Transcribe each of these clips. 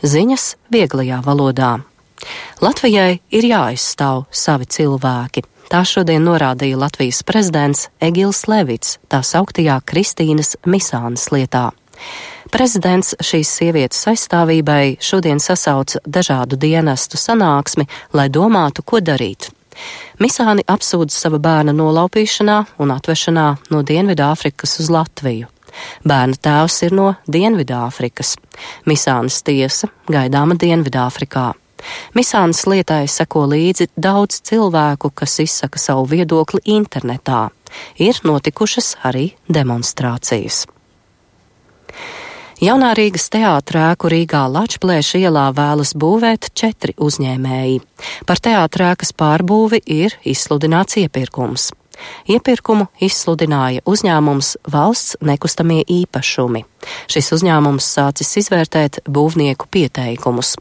Ziņas vieglajā valodā. Latvijai ir jāaizstāv savi cilvēki. Tā šodien norādīja Latvijas prezidents Egils Levits tā sauktajā Kristīnas Misānes lietā. Prezidents šīs sievietes aizstāvībai šodien sasauca dažādu dienestu sanāksmi, lai domātu, ko darīt. Misāni apsūdz sava bērna nolaupīšanā un atvešanā no Dienvidāfrikas uz Latviju. Bērna tēvs ir no Dienvidāfrikas. Misānes tiesa gaidāma Dienvidāfrikā. Misānes lietai seko līdzi daudz cilvēku, kas izsaka savu viedokli internetā. Ir notikušas arī demonstrācijas. Jaunā Rīgas teātra ēku Rīgā Lačplēša ielā vēlas būvēt 4 uzņēmēji. Par teātra ēkas pārbūvi ir izsludināts iepirkums. Iepirkumu izsludināja uzņēmums Valsts nekustamie īpašumi. Šis uzņēmums sācis izvērtēt būvnieku pieteikumus.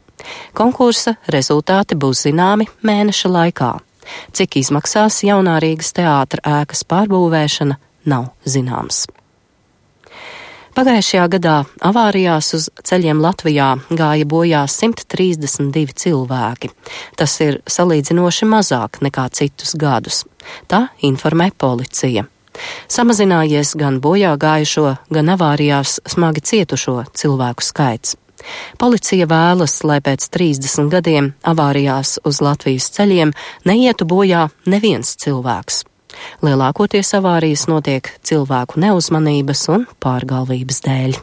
Konkursa rezultāti būs zināmi mēneša laikā. Cik izmaksās Jaunā Rīgas teātra ēkas pārbūvēšana, nav zināms. Pagājušajā gadā avārijās uz ceļiem Latvijā gāja bojā 132 cilvēki. Tas ir salīdzinoši mazāk nekā citus gadus. Tā informē policija. Samazinājies gan bojā gājušo, gan avārijās smagi cietušo cilvēku skaits. Policija vēlas, lai pēc 30 gadiem avārijās uz Latvijas ceļiem neietu bojā neviens cilvēks. Lielākoties avārijas notiek cilvēku neuzmanības un pārgalvības dēļ.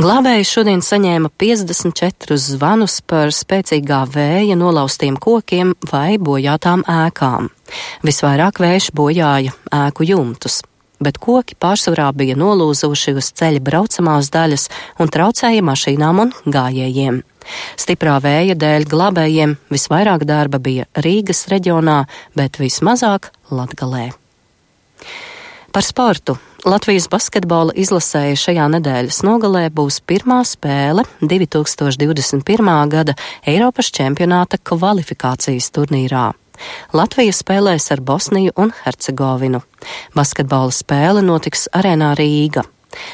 Glābēji šodien saņēma 54 zvanus par spēcīgā vēja nolaustiem kokiem vai bojātām ēkām. Visvairāk vējš bojāja ēku jumtus, bet koki pārsvarā bija nolūzuši uz ceļa braucamās daļas un traucēja mašīnām un gājējiem. Stiprā vēja dēļ glābējiem visvairāk darba bija Rīgas reģionā, bet vismazāk Latgalē. Par sportu. Latvijas basketbola izlasēja šajā nedēļas nogalē būs pirmā spēle 2021. gada Eiropas čempionāta kvalifikācijas turnīrā. Latvija spēlēs ar Bosniju un Hercegovinu. Basketbola spēle notiks arēnā Rīga.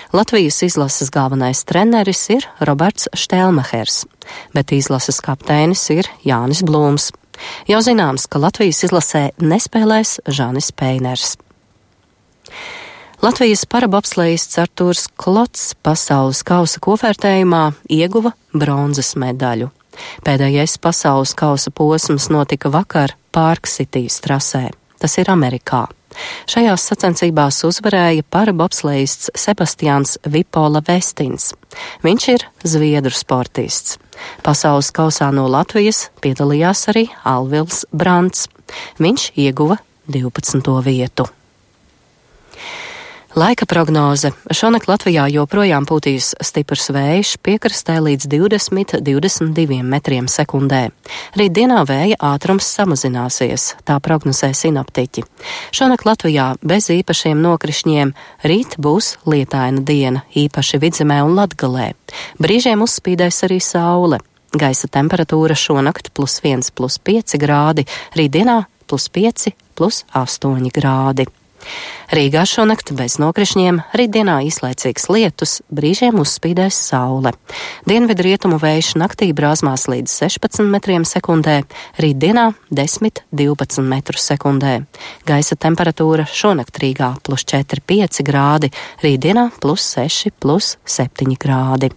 Latvijas izlases galvenais treneris ir Roberts Štelmehers, bet izlases kapteinis ir Jānis Blūms. Jau zināms, ka Latvijas izlasē nespēlēs Žanis Peiners. Latvijas parabobslejists Artūrs Klots pasaules kausa kopvērtējumā ieguva bronzas medaļu. Pēdējais pasaules kausa posms notika vakar Park-Citys trasē. Tas ir Amerikā. Šajās sacensībās uzvarēja parabobslejists Sebastians Vipola Vestins. Viņš ir zviedru sportists. Pasaules kausā no Latvijas piedalījās arī Alvils Brants. Viņš ieguva 12. vietu. Laika prognoze. Šonakt Latvijā joprojām pūtīs stiprs vējš, piekrastē līdz 20–22 metriem sekundē. Rītdienā vēja ātrums samazināsies, tā prognozē sinoptiķi. Šonakt Latvijā bez īpašiem nokrišņiem, rīt būs lietaina diena, īpaši Vidzemē un Latgalē. Brīžiem uzspīdēs arī saule. Gaisa temperatūra šonakt +1–+5 grādi, rītdienā +5–+8 grādi. Rīgā šonakt bez nokrišņiem, rītdienā īslaicīgs lietus, brīžiem uzspīdēs saule. Dienvidrietumu vējš naktī brāzmās līdz 16 metriem sekundē, rītdienā 10–12 metru sekundē. Gaisa temperatūra šonakt Rīgā +4–5 grādi, rītdienā +6–+7 grādi.